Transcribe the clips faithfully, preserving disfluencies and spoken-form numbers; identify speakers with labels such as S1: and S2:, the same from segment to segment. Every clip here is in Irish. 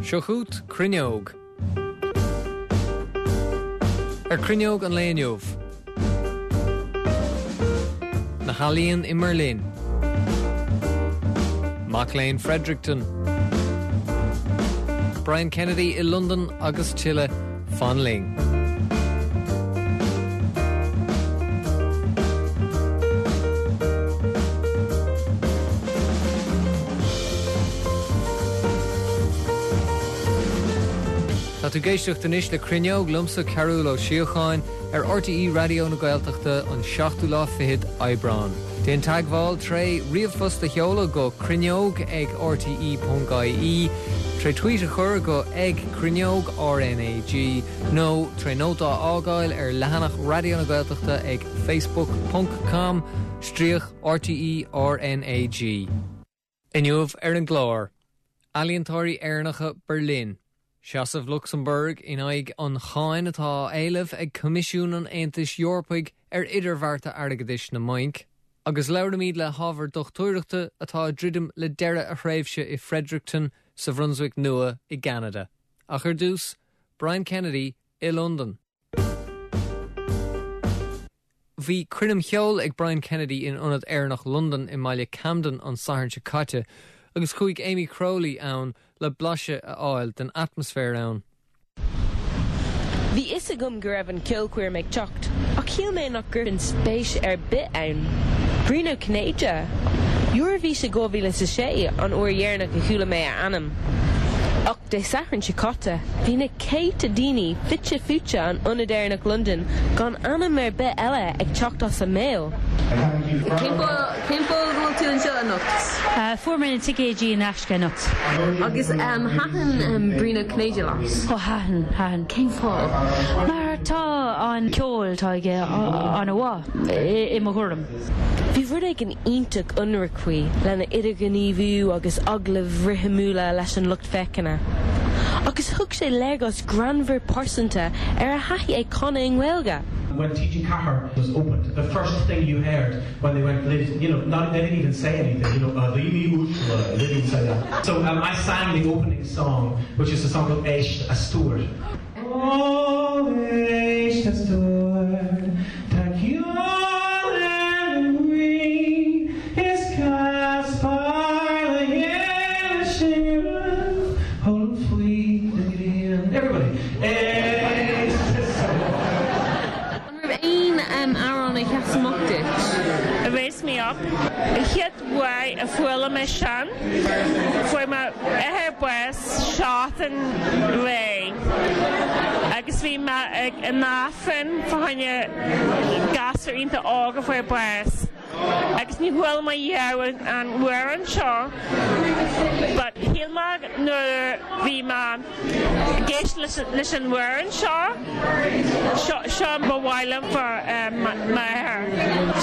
S1: Seo chugat Cruinneog. Ar Cruinneog an lae inniu. Na healaíona i mBerlin. Mac léinn Fredericton. Brian Kennedy i Londain agus tuilleadh fan linn. Tá tú ag éisteacht anois le Cruinneog liomsa Cearúll Ó Síocháin ar RTÉ Raidió na Gaeltachta an seachtú lá fichead Aibreán. Déan teagmháil tré ríomhphost a sheoladh go cruinneog ag rte.ie, tré tweet a chur go ag cruinneog RNAG nó tré nóta a fhágáil ar leathanach Raidió na Gaeltachta ag facebook.com stríoc RTE RNAG. Inniu ar an gclár, Ealaíontóirí Éireannacha Berlin. Seasamh Lucsamburg in aghaidh an cháin atá á éileamh ag Coimisiún an Aontais Eorpaigh ar idirbhearta airgeadais na mbanc, agus labhraímid le hábhar dochtúireachta atá ag druidim le deireadh a thréimhse i Fredericton sa Bhrunswick Nua i gCeanada. Ach ar dtús, Brian Kennedy i Londain. Bhí coirm cheoil ag Brian Kennedy in Ionad Éireannach Londain i mbaile Camden an Satharn seo caite, agus chuaigh Amy Crowley ann le blaiseadh a fháil den atmaisféar ann.
S2: Bhí fhios agam go raibh an ceolchoirm ag teacht, ach shíl mé nach gcuirfinn spéis ar bith ann. Brian Ó Cinnéide? Eoraifís i dhá mhíle is a sé an uair dheireanach a chuala mé a ainm. Ach Dé Sathairn seo caite, bhí na céadta daoine fite fuaite in Ionad Éireannach Londain gan ainm ar bith eile ag teacht as a mbéal.
S3: Cén fáth go bhfuil tú anseo anocht?
S4: Fuair mé na ticéidí in aisce anocht.
S3: Agus thaitin Brian Ó Cinnéide leat?
S4: Ó thaitin, thaitin.
S3: Cén fáth?
S4: Mar tá an ceol atá aige an-mhaith i mo thuairim.
S2: Bhí rud éigin iontach ionraic faoi lena idirghníomhú agus agallaimh rithimiúla leis an lucht féachana. Agus thug sé léargas greannmhar pearsanta ar a thaithí ag canadh i nGaeilge.
S5: When TG Ceathair was opened, the first thing you heard when they went, you know, not, they didn't even say anything, you know, uh, they didn't say that. So um, I sang the opening song, which is a song called Éist a Stór. Oh, éist a stór, tá ceol ar an ngaoth, is casfar le chéile sinn, hold faoi the ghrian. Everybody. Éist a stór.
S3: An raibh aon amhrán a sheas amach duit?
S6: Raise Me Up. Chéad uair a chuala mé sin, fuair m'athair bás seachtain roimhe. Agus bhí mé ag an Aifreann fá choinne gasúr iontach óg a fuair bás. Agus ní chuala mé riamh an amhrán seo, but shíl mé nuair bhí mé ag éisteacht leis an amhrán seo, seo ba mhaith liom for m'athair.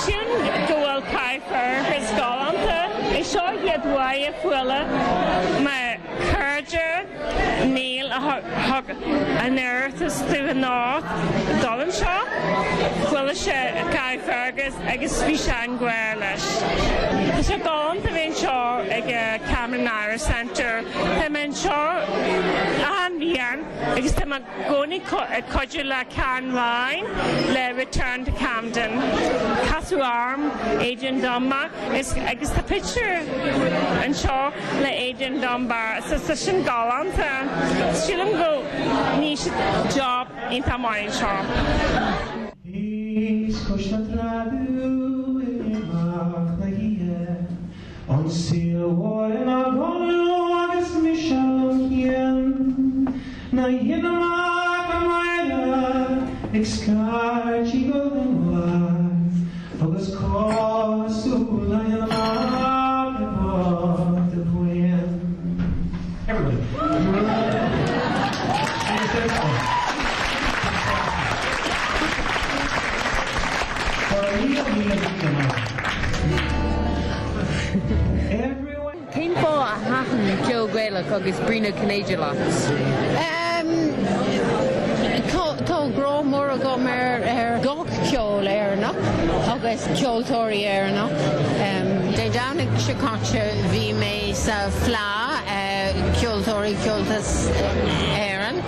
S6: Sílim go bhfuil Carrickfergus galánta, é seo chéad uair a chuala mo chairde Neil a thug an iarratas dúinn anocht dul anseo. Chuala sé Carrickfergus agus bhí sé i ngrá leis. Tá sé galánta bheith anseo ag Camden Irish Centre. Tá mé anseo achan bhliain agus tá mé i gcónaí ag cuidiú le Karen Ryan le Return to Camden. Casadh orm Adrian Dunbar agus tá pictiúr anseo le Adrian Dunbar so tá sin galánta. Sílim go ndéanann siad job iontach maith anseo.
S5: Is cois na trá amach na hoíche An saol mhór ina gcodladh agus mise liom féin Na dhéanamh an mhaide ag scairtigh go luath agus cosúil le amach i bport a bhuíon. Everybody.
S3: Cén fáth a thaitin ceol Gaelach agus Brian Ó Cinnéide leat?
S7: Tá grá mór agam ar ar gach ceol Éireannach agus ceoltóirí Éireannach. Um, Dé Domhnaigh seo caite bhí mé sa Fleadh uh, ceoltóirí Ceoltas Éireann.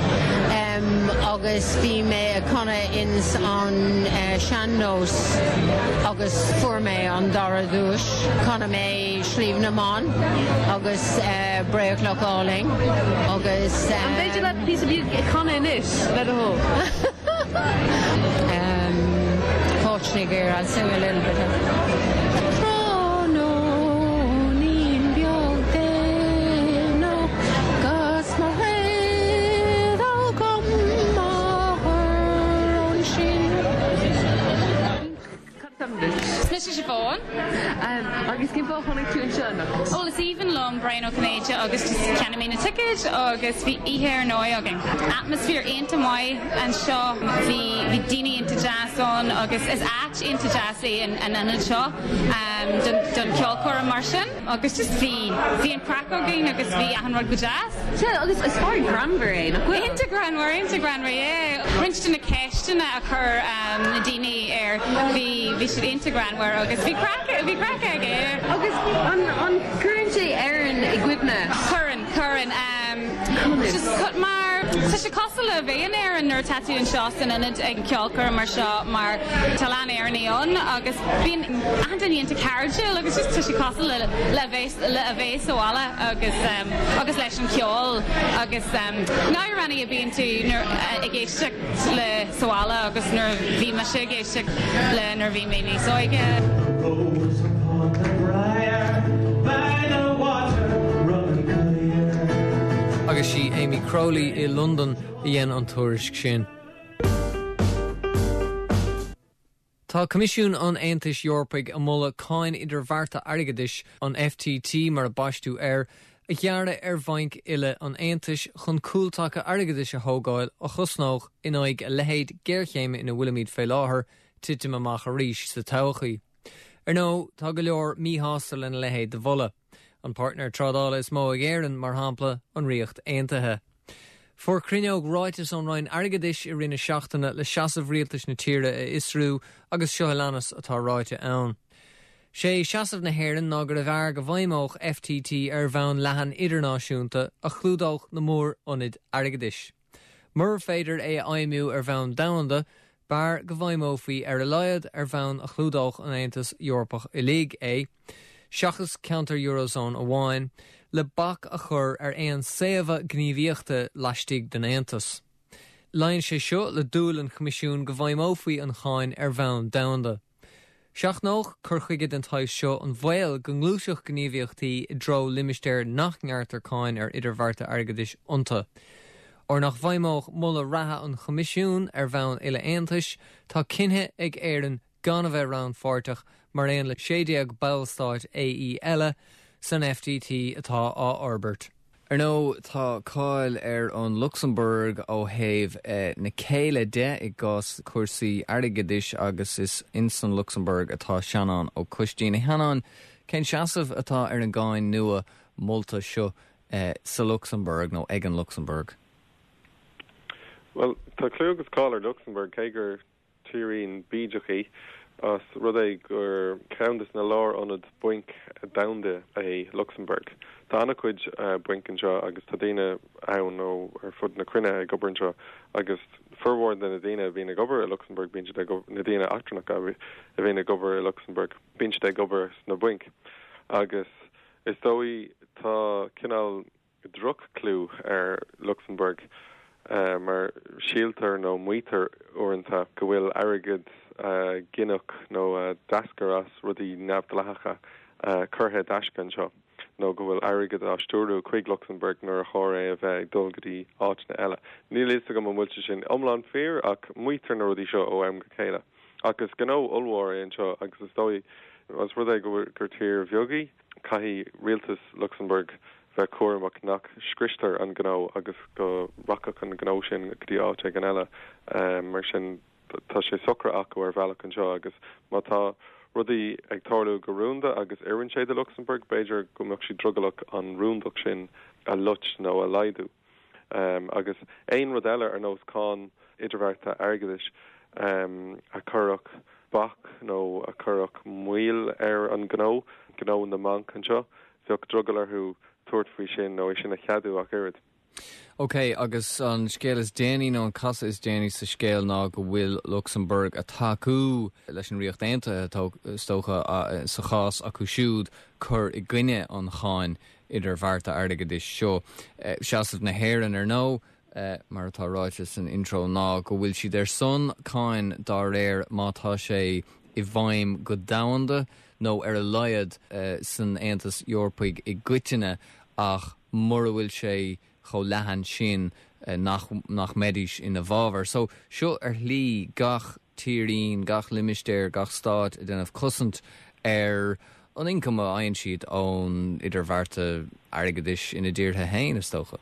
S7: Um, agus bhí mé ag canadh ins an uh, sean-nós agus fuair mé an dara duais Chan mé Sliabh na mBan agus uh, Bréachmhach Álainn agus
S3: uh, An féidir leat píosa beag a chanadh anois le do thoil.
S7: um, Fortunately, I'll sing a little bit of Tráthnóinín beag déanach 'gus mo réad agam máthair ansin.
S8: Mise Siobhán.
S3: Agus cén fáth tháinig tú anseo?
S8: Ó is aoibhinn liom Brian Ó Cinnéide agus cheannaigh mé na tickets agus bhí oíche ar ndóigh againn. Atmaisféar iontach maith anseo bhí bhí daoine iontach deas ann agus is áit iontach deas é an an ionad seo um, don, don ceolchoirm mar sin agus just bhí bhí an craic againn agus bhí an rud go deas.
S3: agus is fear greannmhar é nach bhfuil?
S8: Iontach greannmhar iontach greannmhar é. Roinnt de na ceisteanna a chuir um, na daoine air bhí bhí siad iontach greannmhar agus bhí craic bhí craic aige.
S3: Agus an an gcuireann sé Éirinn i gcuimhne.
S8: Cuireann cuireann um, just cut mar Tá sé cosúil le bheith in Éirinn nuair atá tú anseo san ionad ag ceolchoirm mar seo mar tá Éireannaigh ann agus bíonn achan duine iontach cairdiúil agus just tá sé cosúil le le bheith le a bheith sa bhaile agus um, agus leis an ceol agus um, na ranna a bíonn tú nuair uh, ag éisteacht le sa bhaile agus nuair bhí mise ag éisteacht le nuair bhí mé níos óige.
S5: Rose upon the briar by the water running clear.
S1: Agus sí Amy Crowley i London a dhein an tuairisc sin. Tá Coimisiún an Aontais Eorpaigh ag moladh cáin idirbhearta airgeadais an FTT mar a baisteadh air, a ghearradh ar bhainc uile an Aontais chun cúltaca airgeadais a thógáil a chosnódh in aghaidh a leithéid géarchéime ina bhfuilimid fé láthair titim amach arís sa todhchaí. Ar ndóigh tá go leor míshásta lena leithéid de mholadh. An partner trádála is mó ag Éirinn mar shampla an Ríocht Aontaithe. Fuair Cruinneog ráiteas ón Roinn Airgeadais i rith na seachtaine le seasamh rialtais na tíre a fhiosrú agus seo a leanas atá ráite ann. Sé seasamh na hÉireann ná gurbh fhearr go bhfeidhmeodh FTT ar bhonn leathan idirnáisiúnta a chlúdódh na mórionaid airgeadais. Mura féidir é a fheidhmiú ar bhonn domhanda, b'fhearr go bhfeidhmeofaí ar a laghad ar bhonn a chlúdódh an Aontas Eorpach uilig é, seachas ceantar Eurozone amháin, le bac a chur ar aon saobhadh gníomhaíochta laistigh den Aontas. Luíonn sé seo le dúil an Choimisiúin go bhfeidhmeofaí an cháin ar bhonn domhanda. Seachnódh cur chuige den tsaghas seo an baol go ngluaisfeadh gníomhaíochtaí i dtreo limistéir nach ngearrtar cáin ar idirbhearta airgeadais iontu. Óir nach bhfeidhmeodh moladh reatha an Choimisiúin ar bhonn uile Aontais, tá cinnthe ag Éirinn gan a bheith rannpháirteach mar aon le sé déag ballstát AE eile san FTT atá á fhorbairt. Ar ndóigh tá cáil ar an Lucsamburg ó thaobh eh, na céille de i gcás cúrsaí airgeadais agus is insan Lucsamburg atá Seanán Ó Coistín. A Sheanáin cén seasamh atá ar an gcáin nua molta seo eh, sa Lucsamburg nó ag an Lucsamburg.
S9: Well tá clú agus cáil ar Luxembourg cé gur tírín bídeach í as rud é gur ceann de na lárionaid bainc domhanda é Luxembourg. Tá an-chuid uh, bainc anseo agus tá daoine ann ó ar fud na cruinne ag obair anseo agus formhór de na daoine a bhíonn ag obair i Luxembourg bíonn na daoine eachtrannacha a bhíonn ag obair i Luxembourg bíonn ag obair sna bainc. Agus is dóigh tá cineál droch-chlú ar Luxembourg uh, mar síltear nó maítear uaireanta go bhfuil airgead uh, gineadh nó uh, d'eascair as rudaí neamhdhleathacha uh, curtha i dtaisce anseo nó go bhfuil airgead á stiúradh chuig Luxembourg nuair a chóir é a bheith ag dul go dtí áiteanna eile. Níl a fhios agam an bhfuil sé sin iomlán fíor ach maítear na rudaí seo ó am go chéile. Agus gnó ollmhór é anseo agus is dóigh as rud é gur gur tír bheag í caithfidh rialtas Luxembourg bheith cúramach nach scriostar an gnó agus go rachaidh an gnó sin go dtí áit éigin eile um, mar sin tá sé socair acu ar bhealach anseo agus má tá rudaí ag tarlú go rúnda agus oireann sé do Luxembourg b'fhéidir go mbeadh sí drogallach an rúndacht sin a loit nó a laghdú. Um, agus aon rud eile ar nós cáin idirbhearta airgeadais um, a chuirfeadh bac nó a chuirfeadh moill ar an gnó gnó na mbanc anseo bheadh drogall orthu tabhairt faoi sin nó é sin a cheadú ach oiread.
S1: Ok, agus an scéal is déanaí nó an casadh is déanaí sa scéal ná go bhfuil Lucsamburg ag tacú leis an Ríocht Aontaithe is dócha sa chás acu siúd cur i gcoinne an cháin idirbhearta airgeadais seo. Seasamh na hÉireann ar ndóigh, mar atá ráite san intro ná go bhfuil siad ar son cáin dá réir má tá sé i bhfeidhm go domhanda nó ar a laghad san Aontas Eorpaigh i gcoitinne ach mura bhfuil sé chomh leathan sin nach nach mbeidís ina bhfabhar. So seo ar shlí gach tírín, gach limistéar, gach stát ag déanamh cosaint ar an ioncam a fhaigheann siad ón idirbhearta airgeadais ina dtíortha féin is dócha.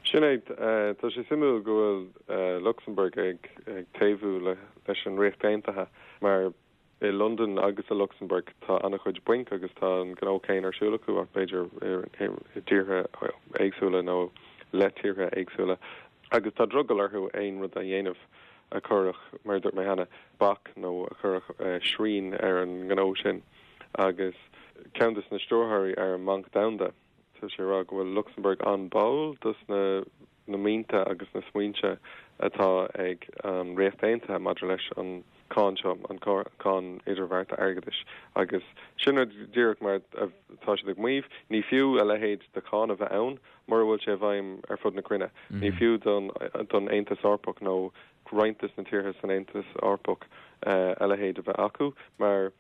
S9: Sin é tá sé suimiúil go bhfuil Luxemburg ag ag taobhú le leis an Ríocht Aontaithe mar i London agus i Luxemburg tá an-chuid bainc agus tá an gnó céanna ar siúl acu ach b'fhéidir i dtíortha éagsúla nó le tíortha éagsúla agus tá drogall orthu aon rud a dhéanamh a chuirfeadh mar dúirt mé cheana bac nó a chuirfeadh srian ar an ngnó sin agus ceann de na stiúrthóirí ar an mBanc Domhanda tá sé ag rá go bhfuil Luxemburg an-báúil dos na na mianta agus na smaointe atá ag an Ríocht Aontaithe maidir leis an cáin seo an cáin idirbhearta airgeadais agus sin díreach mar tá siad ag maíomh ní fiú a leithéid de cháin a bheith ann mura bhfuil sé i bhfeidhm ar fud na cruinne. Mm -hmm. Ní fiú don don Aontas Eorpach nó roinnt de na tíortha san Aontas Eorpach uh, a leithéid a bheith acu mar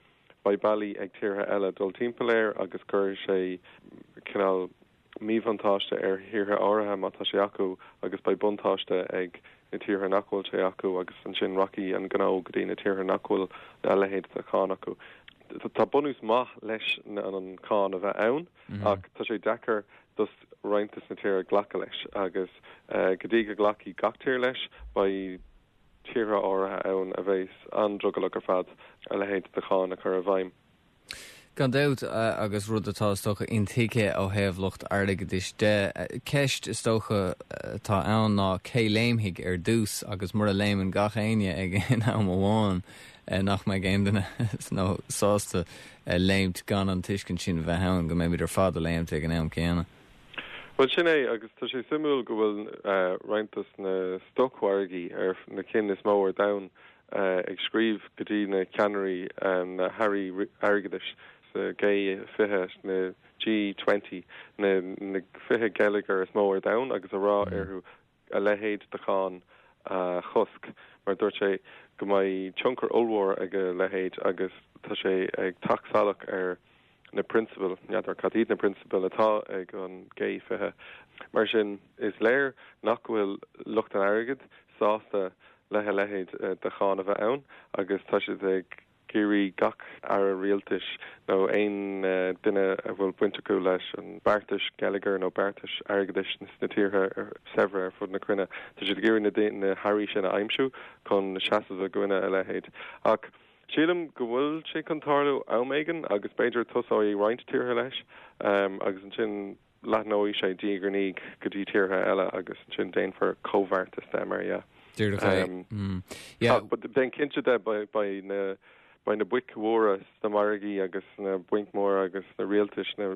S9: beidh bealaí ag tíortha eile dul timpeall air agus cuirfidh sé cineál míbhuntáiste ar thíortha áirithe má tá sé acu agus beidh buntáiste ag na tíortha nach bhfuil sé acu agus ansin rachaidh an gnó go dtí na tíortha nach bhfuil a leithéid de cháin acu. Tá bunús maith leis an cáin a bheith ann mm -hmm. ach tá sé deacair dos roinnt de na tíortha glacadh leis agus uh, go dtí go nglacfaidh gach tír leis beidh tíortha áirithe ann a bheas an-drogallach ar fad a leithéid de cháin a chur i bhfeidhm.
S1: Gan dabht agus rud atá is dócha intuigthe ó thaobh lucht airgeadais de. Ceist is dócha atá ann ná cé léimfidh ar dtús agus mura léimeann gach éinne ag an am amháin nach mbeidh aon duine nó sásta léimt gan an tuiscint sin bheith ann go mbeimid ar fad ag léimt ag an am céanna.
S9: Well sin é agus tá sé suimiúil go bhfuil uh, roinnt de na stocmhargaí ar na cinn is mó ar domhan uh, ag scríobh go dtí na ceannairí um, na hairí airgeadais sa G fiche na G twenty na na fiche geilleagar is mó ar domhan agus a rá mm. orthu a leithéid de cháin a chosc mar dúirt sé go mbeidh tionchar ollmhór ag a leithéid agus tá sé ag teacht salach ar na prionsabail n'fheadar cad iad na prionsabail atá ag an G fiche. Mar sin is léir nach bhfuil lucht an airgid sásta le a leithéid de cháin a bheith ann agus tá siad ag iarraidh gach aire rialtais nó aon duine a bhfuil baint acu leis an beartais geilleagair nó beartais airgeadais sna tíortha saibhre ar fud na cruinne. Tá siad ag iarraidh na hairí sin a aimsiú chun seasamh i gcoinne a leithéid. Ach sílim go bhfuil sé chun tarlú am éigin agus b'fhéidir tosóidh roinnt tíortha leis um, agus ansin leathnóidh sé diaidh ar ndiaidh go dtí tíortha eile agus ansin déanfar comhbheartas de mar yeah.
S1: Um, mm. yeah.
S9: Déan cinnte de beidh na beidh na boic mhóra sna margaí agus na bainc mhóra agus na rialtais na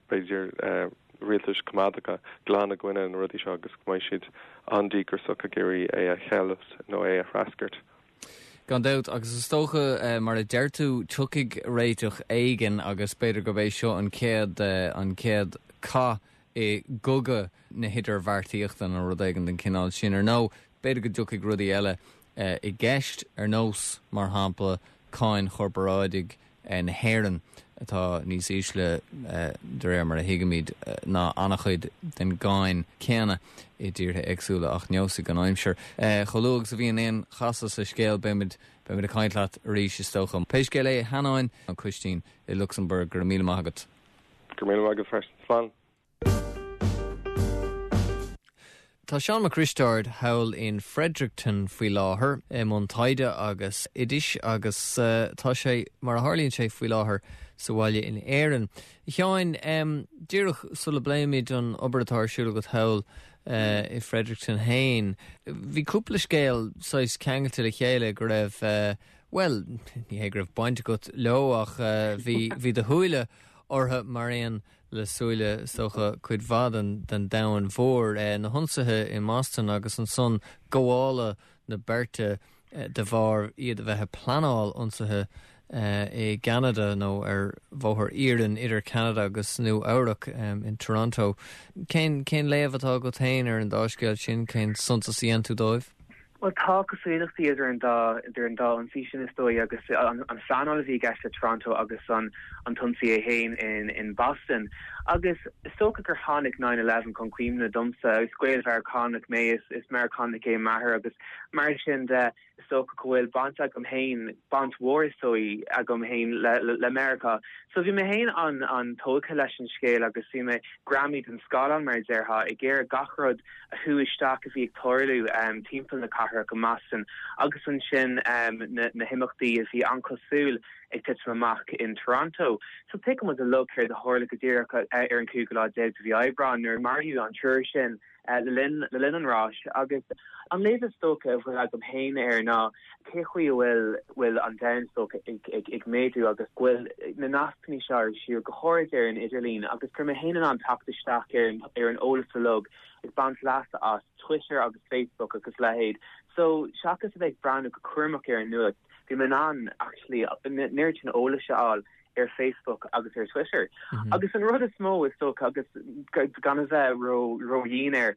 S9: b'fhéidir uh, rialtais coimeádacha glan i gcoinne na rudaí seo agus go mbeidh siad an-díograiseach ag iarraidh é a cheilt nó é a threascairt.
S1: Gan dabht agus is dócha uh, mar a deir tú tiocfaidh réiteach éigin agus b'fhéidir gurb é seo an chéad uh, an chéad cath i gcogadh na hidirbheartaíochta nó rud éigin den chineál sin ar nó b'fhéidir go dtiocfaidh rudaí eile uh, i gceist ar nós mar shampla cáin chorparáidigh uh, na hÉireann atá níos ísle uh, de réir mar a thuigimid uh, ná an-chuid den gcáin céanna i dtíortha éagsúla ach neosfaidh an aimsir. Uh, Chomh luath agus a bhíonn aon chasadh sa scéal beimid beimid ag caint leat arís is dócha. Pé scéal é Hanáin an Coistín i Luxemburg go raibh míle maith agat.
S9: Go raibh míle maith agat freisin slán.
S1: Tá Seán Mac Risteaird thall in Fredericton faoi láthair i mbun taighde agus oideachais agus uh, tá sé mar a tharlaíonn sé faoi láthair sa bhaile in Éirinn. Sheáin um, díreach sula bpléimid an obair atá ar siúl agat thall uh, i Fredericton féin. Bhí cúpla scéal saghas ceangailte le chéile go raibh uh, well ní hé go raibh baint agat leo ach uh, bhí bhí do shúile orthu mar aon le súile is dócha cuid mhaith den den domhan mhór eh, na hionsaithe i mBoston agus ansan gabháil na beirte eh, de bharr iad a bheith ag pleanáil ionsaithe eh, i gCanada nó ar bhóthar iarainn idir Canada agus Nua Eabhrac um, in Toronto. Cén cén léamh atá agat féin ar an dá scéal sin cén suntas a dhéanann tú dóibh?
S10: Well tá cosúlachtaí idir an dá idir an dá ionsaí sin is dóigh agus an, an phleanáil a bhí i gceist le Toronto agus an an t-ionsaí é féin in in Boston. Agus is dócha gur tháinig nine eleven chun cuimhne domsa is Gael-Mheiriceánach mé is is Meiriceánach é m'athair agus mar sin de is dócha go bhfuil baint agam féin baint mhór is dóigh agam féin le, le, le Meiriceá. So bhí mé féin an an tógtha leis an scéal agus bhí mé greamaithe den scáileán mar déarfá ag iarraidh gach rud a shú isteach a bhí ag tarlú um, timpeall na cathrach i mBoston agus ansin um, na, na himeachtaí a bhí an-chosúil ag titim amach in Toronto. So tuigimid uilig céard a tharla go díreach ar an cúigiú lá déag de mhí Aibreán nuair maraíodh an triúr sin uh, le linn le linn an ráis agus an léamh is dócha a bhfuil agam féin air ná cé chaoi bhfuil bhfuil an domhan is dócha ag, ag, ag méadú agus bhfuil na nascanna seo ar siúl go háirid ar an idirlíon agus gur mé féin an teacht isteach ar an ar an eolas uilig ag baint leasa as Twitter agus Facebook agus leithéid. So seachas a bheith ag breathnú go cúramach ar an nuacht, bhí mé an actually neart an eolais a fháil ar Facebook agus ar Twitter. Mm -hmm. Agus an rud is mó is dócha agus gan a bheith ró ródhian air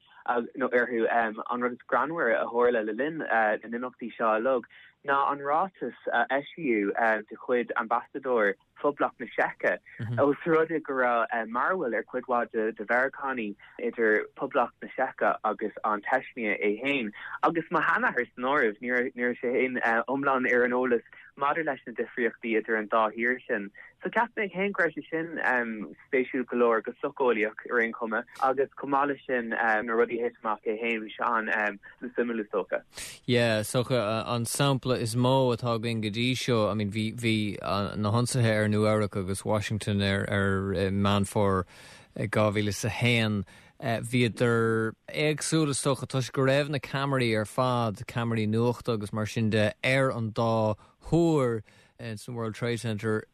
S10: nó orthu um, an rud is greannmhaire a tharla le linn uh, na n-imeachtaí seo uilig ná an ráiteas uh, eisíodh uh, de chuid ambasadóir Phoblacht na Seice mm -hmm. Ós rud é go raibh uh, mearbhall ar chuid mhaith de, de Mheiriceánaigh idir Poblacht na Seice agus an tSeicnia é féin. Agus mo sheanathair san áireamh ní sé féin uh, iomlán ar an eolas maidir leis na difríochtaí idir an dá thír sin. So cheap mé féin go raibh sé sin um, spéisiúil go leor go socheolaíoch ar aon chuma agus chomh maith leis sin um, na rudaí a thit amach é féin bhí sé an um, suimiúil is dócha.
S1: Yeah, so uh, an sampla is mó atá againn go dtí seo, I mean bhí bhí uh, na hionsaithe ar Nua Eabhrac agus Washington ar ar uh, Meán Fómhair dhá mhíle is a haon. Uh, Bhíodar éagsúil is dócha toisc go raibh na ceamaraí ar fad ceamaraí nuachta agus mar sin de ar an dá thúr uh, san World Trade Center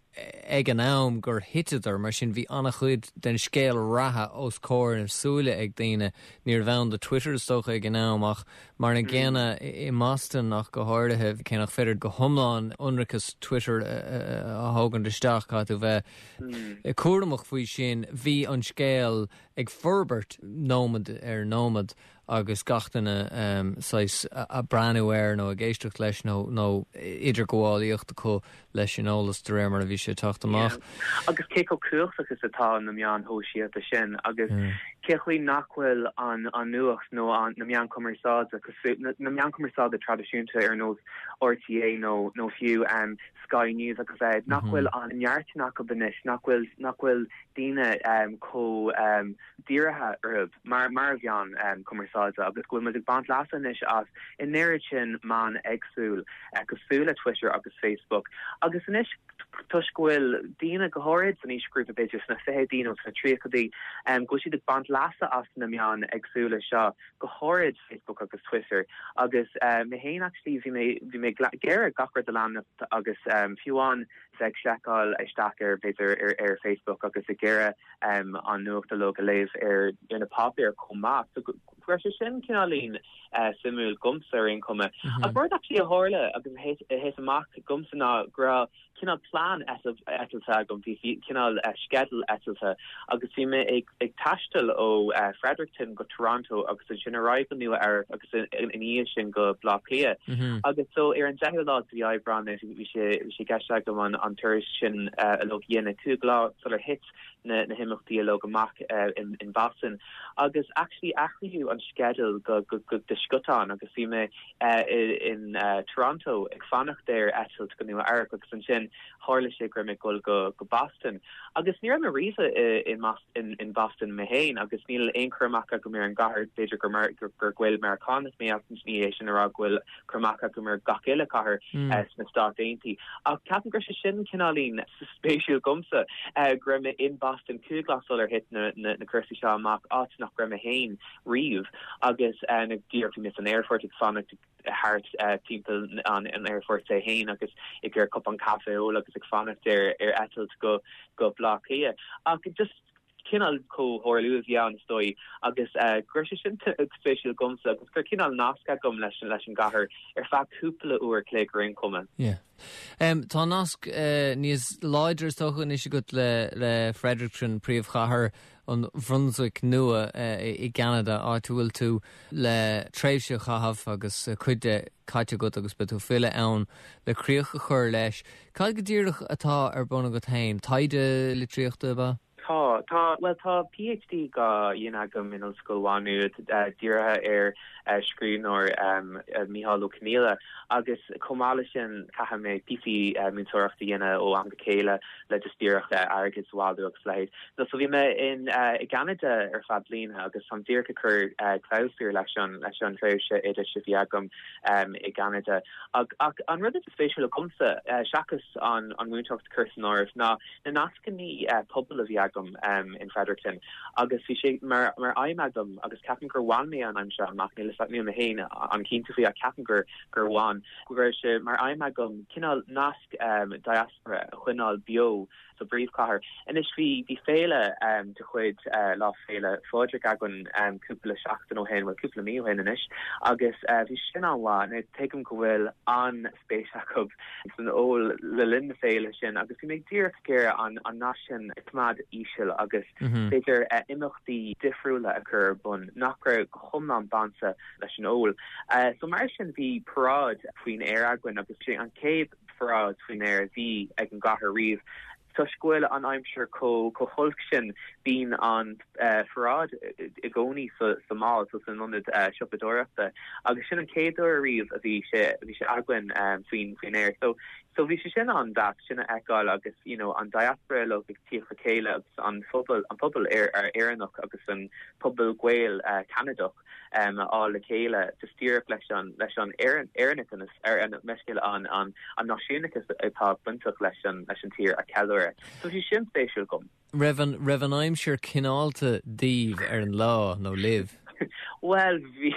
S1: ag an am gur thiteadar mar sin bhí an-chuid den scéal reatha os comhair na súile ag daoine níorbh ann do Twitter is dócha ag an am ach mar an gcéanna i mBoston ach go háirithe cé nach féidir go hiomlán ionracas Twitter a thógaint isteach caithfidh tú bheith cúramach faoi sin bhí an scéal ag forbairt nóiméad ar nóiméad agus gach duine um, ag breathnú air nó ag éisteacht leis nó nó idirghabhálaíocht acu leis an eolas de réir mar a bhí sé teacht amach.
S10: Yeah. Agus cé chomh cumhachtach is atá na meáin shóisialta sin agus mm. cé chaoi nach bhfuil an an nuacht nó an na meáin chumarsáide na, na meáin chumarsáide traidisiúnta ar nós R T É nó nó fiú um, Sky News agus é nach mhm. bhfuil an neart acu anois nach bhfuil nach bhfuil daoine um, chomh um, dírithe orthu mar mar mheán um, cumarsáide agus go bhfuil ag baint leasa anois as an oiread sin meán éagsúil uh, cosúil le Twitter agus Facebook. Agus anois toisc go bhfuil daoine go háirid san aoisghrúpa b'fhéidir sna fichidí nó sna tríochaidí um, go siad ag baint leasa as na meáin éagsúla seo go háirid Facebook agus Twitter agus uh, mé féin actually bhí mé bhí mé ag iarraidh gach rud a leanacht agus um, fiú amháin bheith seiceáil isteach ar b'fhéidir ar, ar Facebook agus ag iarraidh um, an nuacht uilig a léamh ar ar na páipéir chomh maith. So go raibh sé sin cineáilín uh, suimiúil domsa ar aon chuma. Mm -hmm. Ach rud actually a tharla agus a thit amach domsa ná go raibh cineál plean eitilte agam bhí cineál uh, sceideal eitilte agus bhí mé ag, ag taisteal ó uh, Fredericton go Toronto agus ansin ar aghaidh go Nua Eabhrac agus ina dhiaidh sin go Baile Átha Cliath.
S1: Mm -hmm.
S10: Agus so ar an deichiú lá de mhí Aibreán bhí sé bhí sé i gceist agam an an turas sin uh, a dhéanamh cúig lá sular thit na, na himeachtaí uilig amach uh, in, in Boston. Agus actually athraíodh an sceideal go, go, go de scotán agus bhí mé uh, in uh, Toronto ag fanacht ar eitilt go Nua Eabhrac agus ansin sin tharla sé go raibh mé ag dul go go Boston. Agus ní raibh mé riamh in, in, in Boston mé féin agus níl aon chur amach agam ar an gcathair b'fhéidir gur mar gur gur Gael-Mheiriceánach mé ní é sin a rá go bhfuil cur amach agam ar gach uile cathair mm. uh, sna Stáit Aontaithe. Ach ceapaim go raibh sé sin cineáilín spéisiúil domsa uh, go raibh mé in Boston cúig lá sular thit na, na, na cúrsaí seo amach áit nach raibh mé féin riamh agus uh, na díreach bhí mé san aerfort ag fanacht thart uh, timpeall an an aerfort é féin agus ag ar cupán caife ól agus ag fanacht ar ar eitilt go go Baile Átha Cliath ach just cineál comhtharlú a bhí ann is dóigh agus uh, go raibh sé sin spéisiúil domsa agus gur cineál nasc agam leis an leis an gcathair ar feadh cúpla uair an chloig ar aon chuma.
S1: Yeah. Um, tá nasc uh, níos láidre is dócha anois agat le le Fredericton príomhchathair an Bhrunswick nua uh, i gCeanada áit a bhfuil tú le tréimhse a chaitheamh agus uh, cuid de caite agat agus beidh tú ag filleadh ann le críoch a chur leis. Cad go díreach atá ar bun agat féin taighde litríochta ba?
S10: Tá tá well tá PhD á dhéanamh agam in Ollscoil Mhá Nuad uh, dírithe ar uh, scríbhneoir um, uh, Mícheál Ó Conghaile agus chomh maith leis sin caithfidh mé píosaí uh, múinteoireachta a dhéanamh ó am go chéile le just díreach uh, airgead a bhailiú agus leithéid. No, so bhí mé in uh, i gCeanada ar feadh bliana agus táim díreach ag cur uh, clabhsúr leis an leis an tréimhse oideachais a bhí agam um, i gCeanada. Ach, ach an rud is spéisiúla domsa uh, seachas an an múinteoireacht cur san áireamh ná na nascanna uh, pobail a bhí agam um, in Fredericton agus bhí sé mar mar aidhm agam agus ceapaim gur bhain mé an aidhm seo amach níl níl mé féin an-chinnte faoi ceapaim gur gur bhain go raibh sé mar aidhm agam cineál nasc um, diaspora a choinneáil beo sa bpríomhchathair. Anois bhí bhí féile um, de chuid uh, lá féile Phádraig againn um, cúpla seachtain ó shin well cúpla mí ó shin anois agus uh, bhí sin an-mhaith tuigim go bhfuil an-spéis acu san ól le linn na féile sin agus bhí mé díreach gur an an nasc sin a choimeád íseal agus mm -hmm. b'fhéidir uh, imeachtaí difriúla a chur bun nach raibh go hiomlán bainte leis an ól. Uh, so mar sin bhí paráid faoin aer againn agus sé an chéad pharáid faoin aer bhí ag an gcathair riamh Toisc go bhfuil an aimsir chomh chomh holc sin bíonn an uh, pharáid i gcónaí sa sa mall so san ionad uh, siopadóireachta agus sin an chéad uair riamh a bhí sé bhí sé againn um, faoin faoin aer so so bhí sé sin an-deas sin a fheiceáil agus you know an diaspora le ag tíocht le chéile agus an phobal an pobal ar ar Éireannach agus an pobal Gael uh, Ceanadach um, á le chéile just díreach leis an leis an Éireannachas ar an meiscéil an an an náisiúnachas atá bainteach leis an leis an tír a cheiliúradh. So bhí sin spéisiúil dom.
S1: Raibh an raibh an aimsir cineálta daoibh ar an lá nó libh.
S10: Well bhí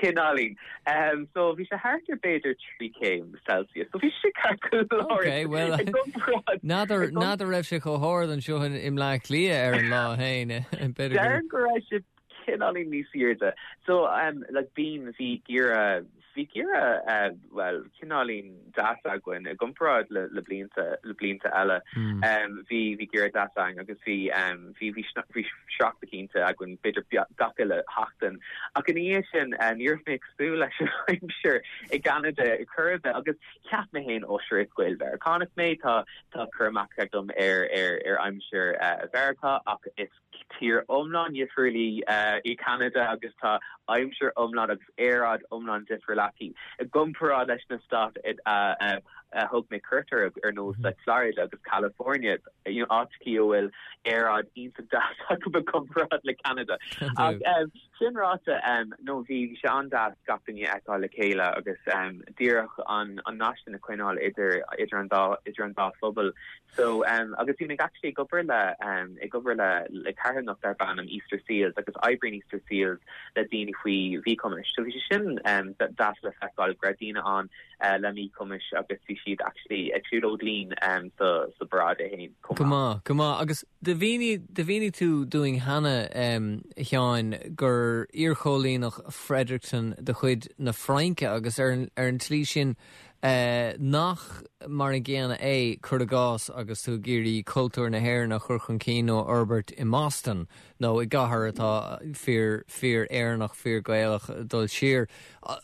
S10: cineáilín. Um, so bhí sé thart ar b'fhéidir trí céim Celsius. So bhí sé
S1: Okay, well n'fheadar n'fheadar raibh sé chomh hard anseo i mBleá Cliath ar an lá féin
S10: go raibh sé cineáilín níos airde. So um, like bín bhí geimhreadh bhí geimhreadh uh, well cineáilín deas againn i gcomparáid le le blianta le blianta eile mm. um, bhí bhí geimhreadh deas againn agus bhí um, bhí bhí bhí sneachta cinnte againn b'fhéidir gach uile sheachtain ach in é sin uh, níor mé súil leis aimsir i gCeanada chube agus ceap mé féin ó sure is Gael-Mheiriceánach mé tá tá cur amach agam ar ar ar aimsir uh, Mheiriceá ach is tír iomlán difriúil í uh, í Canada agus tá aimsir iomlán agus aeráid iomlán difriúil aici. I gcomparáid leis na stáit uh, uh, uh, thug mé cuairt ar ar nós like Florida agus California you know, áit a bhfuil aeráid iontach deas acu i gcomparáid le Canada. Ach, um, sin ráite um, nó bhí sé an-deas gach duine a fheiceáil le chéile agus um, díreach an an nasc sin a choinneáil idir idir an dá idir an dá phobal. So um, agus bhí mé actually ag obair le um, ag obair le le carthanacht darb ainm Easter Seals agus oibríonn Easter Seals le daoine faoi mhíchumais. So bhí sé sin um, deas le feiceáil go raibh daoine ann uh, le míchumais agus bhí siad actually ag siúlóid linn um, sa sa bparáid féin.
S1: Go maith go maith agus do mhínigh do mhínigh tú dúinn cheana um, Sheáin gur iarchoilíneach Fredericton de chuid na Fraince agus ar an, ar an tslí sin uh, nach mar an gcéanna é cur i gcás agus tú ag iarraidh cultúr na hÉireann a chur chun cinn nó fhorbairt i mBoston nó i gcathair atá fíor fíor Éireannach fíor Gaelach dul siar.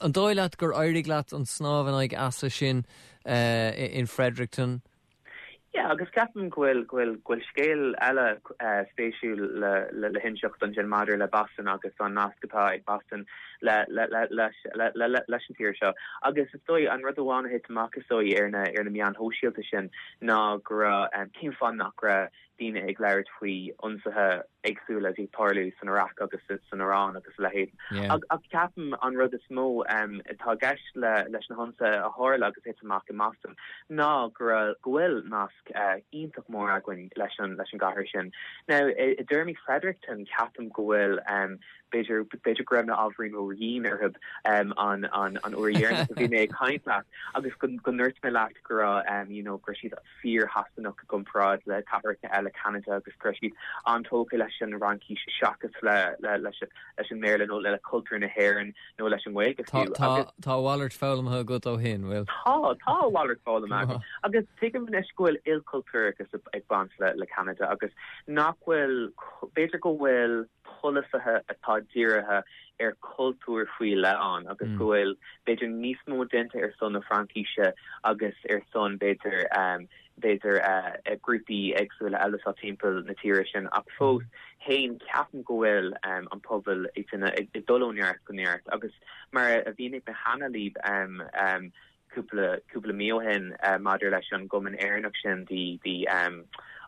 S1: An dóigh leat gur éirigh leat an snámh in aghaidh easa sin uh, in Fredericton?
S10: Yeah, agus ceapaim go bhfuil go bhfuil go bhfuil scéal eile uh, spéisiúil le le, le hinseacht ansin maidir le Boston agus an nasc atá ag Boston le le le leis le, le, le, leis an tír seo. Agus is dóigh an rud amháin a thit amach is dóigh ar na ar na meáin shóisialta sin ná go raibh um, cén fáth nach raibh daoine ag labhairt faoi ionsaithe éagsúla a bhí ag tarlú san Iraq agus san Iran agus a leithéid.
S1: Yeah.
S10: Ach ach ceapaim an rud is mó um, atá i gceist le leis na hionsaithe a tharla agus thit amach i mBoston ná go raibh- go bhfuil nasc uh, iontach mór againn leis an leis an gcathair sin. Now i i dtéarmaí Fredericton ceapaim go bhfuil um, b'fhéidir b'fhéidir go raibh mé ábhairín ródhian orthu um, an an an uair dheireanach a bhí mé ag caint leat agus go go ndúirt mé leat go raibh um, you know, go raibh siad fíor-Shasanach i gcomparáid le cathracha eile Canada agus go raibh siad an-tógtha leis an Fhraincis seachas le le leis leis an mBéarla nó le cultúr na hÉireann nó leis an Ghaeilge
S1: Tá
S10: fiú.
S1: tá
S10: Agus-
S1: tá a mhalairt foghlamtha agat ó shin, bhfuil?
S10: Tá tá a mhalairt foghlamtha agam. agus tuigim anois go bhfuil ilchultúrachas ag baint le le Canada agus nach bhfuil b'fhéidir go bhfuil polasaithe atá dírithe ar cultúr faoi leith ann agus
S1: Mm.
S10: go bhfuil b'fhéidir níos mó déanta ar son na Fraincise agus ar son b'fhéidir um, b'fhéidir uh, uh, grúpaí éagsúla eile sa timpeall na tíre sin ach fós féin ceapaim go bhfuil um, an pobal ag ag ag dul ó neart go neart agus mar a mhínigh mé cheana libh um, um, cúpla cúpla mí ó shin uh, maidir leis an gcumann Éireannach sin the the um,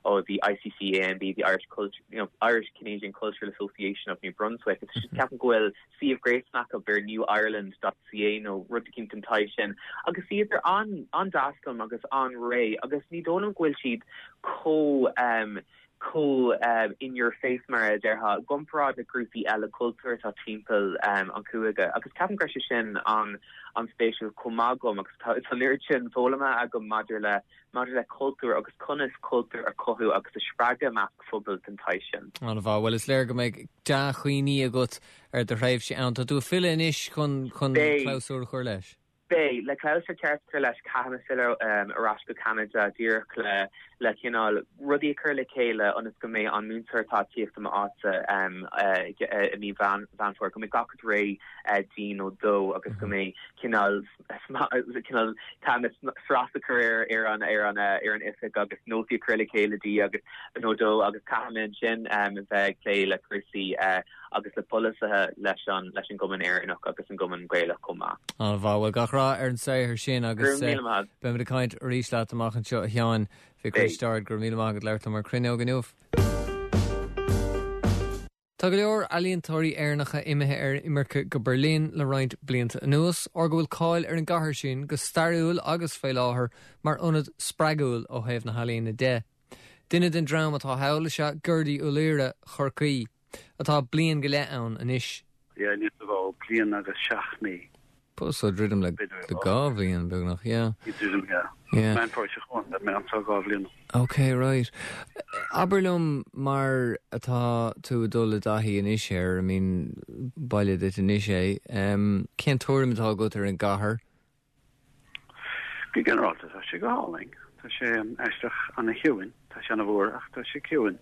S10: oh the ICCANB the Irish Culture you know Irish Canadian Cultural Association of New Brunswick it's just ceapaim go bhfuil suíomh gréasáin acu ar newireland.ca nó rud éicint den tsaghas sin agus iad ar an an-deas liom agus an-réidh agus ní dóigh liom go bhfuil siad chomh um, chomh um, in your face mar a déarfá i gcomparáid le grúpaí eile cultúr atá timpeall um, an chúige agus ceapaim go sé sin an an spéisiúil chomh maith agam agus tá an oiread sin foghlamtha agam maidir le maidir le cultúr agus conas cultúr a chothú agus a spreagadh i measc phobal den tsaghas sin.
S1: An-mhaith bhuel is léir go mbeidh dea-chuimhní agat ar do thréimhse ann Tá tú ag filleadh anois chun chun
S10: Beidh.
S1: clabhsúr a chur leis.
S10: Beidh le clabhsúr ceart a chur leis caithfidh mé filleadh um, ar ais go Canada díreach le le cineál rudaí a chur le chéile ionas go mbeidh an múinteoir atá ag tíocht i m'áit um, uh, uh, i mí Mheán Fómhair go mbeidh gach rud réidh uh, di nó dó agus go mbeidh cineál cineál tá sras a chur ar ar an ar an uh, ar an oifig agus nótaí a chur le chéile di agus nó dó agus caithfidh mé sin um, bheith ag plé le cúrsaí uh, agus le polasaithe leis an leis an gcumann Éireannach agus an gcumann Gaelach chomh maith.
S1: An-mhaith bhuel gach rath ar an saothar sin agus
S10: Go raibh míle maith.
S1: Beimid ag caint arís leat amach anseo a Sheáin Mhic Risteaird go raibh míle maith agat labhairt liom ar Cruinneog inniu. Tá go leor ealaíontóirí Éireannacha imithe ar imirce go Berlin le roinnt blianta anuas, óir go bhfuil cáil ar an gcathair sin go stairiúil agus faoi láthair mar ionad spreagúil ó thaobh na healaíona de. Duine den dream atá thall is ea Gerdy Ó Laoire Chorcaí, atá bliain go leith ann anois.
S11: Ja, ní bh bliain agus seacht mí.
S1: So druidim le le dhá bhliain beagnach, yeah.
S11: Druidim, yeah.
S1: Yeah.
S11: Meán Fómhair chugainn, mé an dhá bhliain.
S1: Okay, right. Abair liom mar atá tú dul i dtaithí anois air, I mean baile duit anois é, um, cén tuairim atá agat ar an gcathair?
S11: Go ginearálta tá sé go hálainn. Tá sé aisteach an-chiúin, tá sé an-mhór ach tá sé ciúin.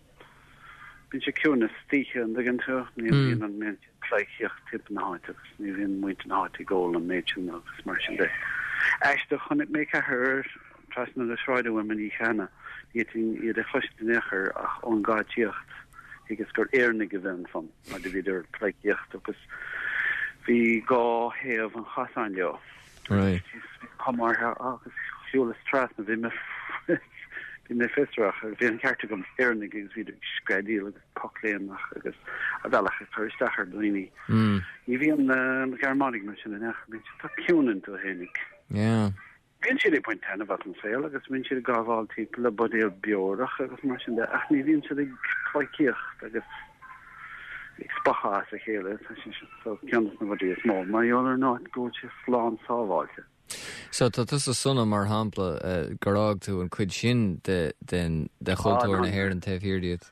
S11: Bíonn sé ciúin istoíche an dtuigeann tú, ní
S1: Mm.
S11: bhíonn an méid pleidhcíocht timpeall na háite agus ní bhíonn muintir na háite ag ól an méid sin agus mar sin de. Aisteach chonaic mé ceathrar trasna na sráide uaim an oíche cheana, ní fhéadfainn iad a chloisint in aon chor ach ón gcadíocht agus gur Éireannaigh a bhí ansan mar do bhíodar ag pleidhcíocht agus bhí dhá thaobh an chasáin leo.
S1: Right.
S11: Commartha agus shiúlas trasna bhí mé bhí mé fiosrach agus bhí an ceart agam Éireannaigh agus bhí screadaíl agus pocléimneach agus a bhealach ag cur isteach ar dhaoine.
S1: Mm.
S11: Ní bhíonn na Gearmánaigh mar sin in aon chor, bíonn siad tá ciúin iontu fhéinig.
S1: Yeah.
S11: Bíonn siad ag baint taitneamh as an saol agus bíonn siad ag gabháil timpeall le buidéal beorach agus mar sin de ach ní bhíonn siad ag pleidhcíocht agus ag spochadh as a chéile tá sé sin so ceann de na rudaí is mó mar gheall ar an áit go bhfuil sé slán sábháilte.
S1: So tá tusa sona mar shampla uh, gur fhág tú an chuid sin de den de chultúr
S11: Ah,
S1: na hÉireann taobh thiar díot.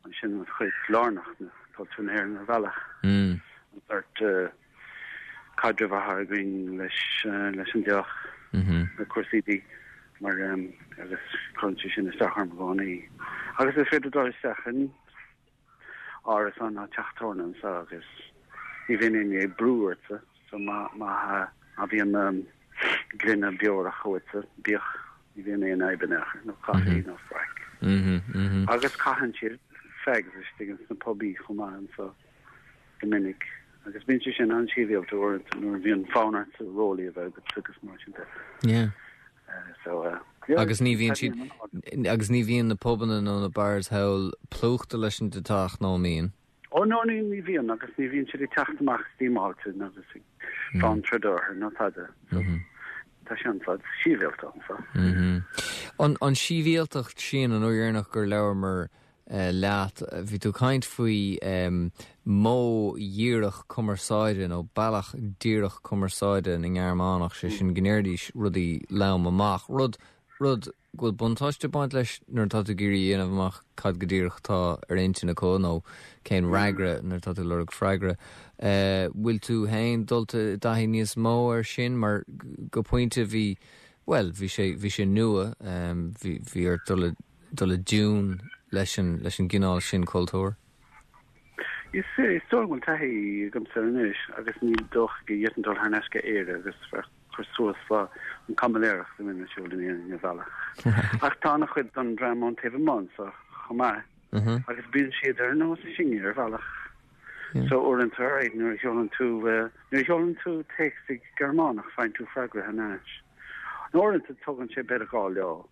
S11: An sin an chuid lárnach de chultúr na hÉireann ar bhealach.
S1: Mm.
S11: An sórt uh, caidreamh atá againn leis uh, leis an deoch
S1: Mhm.
S11: na cúrsaí dí mar um, agus cuireann sé sin isteach orm i gcónaí. Agus is féidir dul isteach in árasán nó teach tábhairne anseo agus ní bhíonn éinne ag brú ortsa so má má má bhíonn um, gloine beorach uaitse bíodh Ní bhíonn aon fhadhb in aon chor, nó caife nó faic. Agus caitheann siad fags istigh ins na pubaí chomh maith anso go minic. Agus bíonn sé sin an-sibhialta uaireanta nuair a bhíonn fonn ort rollie a bheith agat agus mar sin de.
S1: Yeah.
S11: So, uh, yeah,
S1: Agus ní bhíonn siad agus ní bhíonn na pubanna nó na bars thall plúchta leis an deatach nó an mbíonn?
S11: Ó no ní ní bhíonn agus ní bhíonn siad ag teacht amach stímáilte agus ag fán troid orthu nó tada. So, tá sé an-fhad sibhialta anso.
S1: An an sibhialtacht sin an uair dheireanach gur labhramar leat, bhí tú ag caint faoi modh dhíreach cumarsáide nó bealach díreach cumarsáide na nGearmánach, sé sin go ndéarfaidís rudaí lom amach, rud rud go bhfuil buntáiste ag baint leis nuair atá tú ag iarraidh a dhéanamh amach cad go díreach atá ar intinn acu nó cén fhreagra nuair atá tú ag lorg freagra. Bhfuil tú féin dulta i dtaithí níos mó air sin mar go pointe bhí, bhuel, bhí sé bhí sé nua, bhí bhí ort dul i dul i dtiún leis an leis an gcineál sin cultúir?
S11: Is is dóigh go bhfuil taithí agamsa anois agus ní dócha go bhféadfainn dul thar n-ais go Éire agus bheith cur suas le an caimiléireacht a bhíonn ar siúl in Éirinn ar bhealach. Ach tá an-chuid den dream ón taobh amuigh anso chomh maith agus bíonn siad ar nós sinne ar bhealach. So uaireanta right, nuair a sheolann tú nuair a sheolann tú téacs i Gearmánach faigheann tú freagra thar n-ais. Nó uaireanta tógann sé b'fhéidir dhá lá.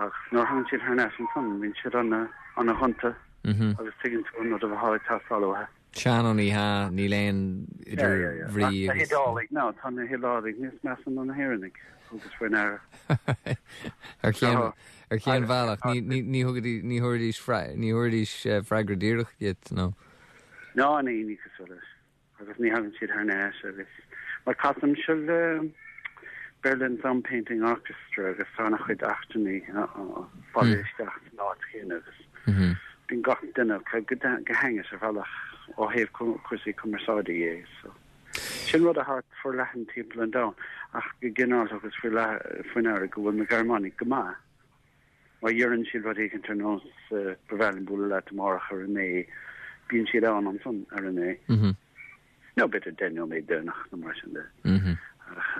S11: Ach nuair a thagann siad thar n-ais ansan bíonn siad ana ana ghonta agus tuigeann tú an rud atá ag teastáil uathu.
S1: Sea nó ní hea, níl aon idir bhrí
S11: Na hIodálaigh, ná tá na hIodálaigh níos measa ná na hÉireannaigh agus faoi ndeara.
S1: Ar cén ar cén bhealach ní ní ní thugaidís ní thabharfaidís ní thabharfaidís freagra díreach duit nó?
S11: Ná ní ní cosúil leis agus ní thagann siad thar n-ais agus mar casaimse le Berlin Sound Painting Orchestra agus tá an-chuid eachtrannaigh bailithe isteach san áit chéanna agus bíonn gach duine go go haingeas ar bhealach ó thaobh cúrsaí cumarsáide dhe so. Sin rud atá forleathan timpeall an domhain ach go ginearálta agus faoi faoi ndeara go bhfuil na Gearmánaigh go maith mar deireann siad rud éicint ar nós ba bhreá liom bualadh leat amárach ar a naoi bíonn siad ann ansan ar a naoi. Nó b'fhéidir deich nóiméad deireanach nó mar sin de. Ach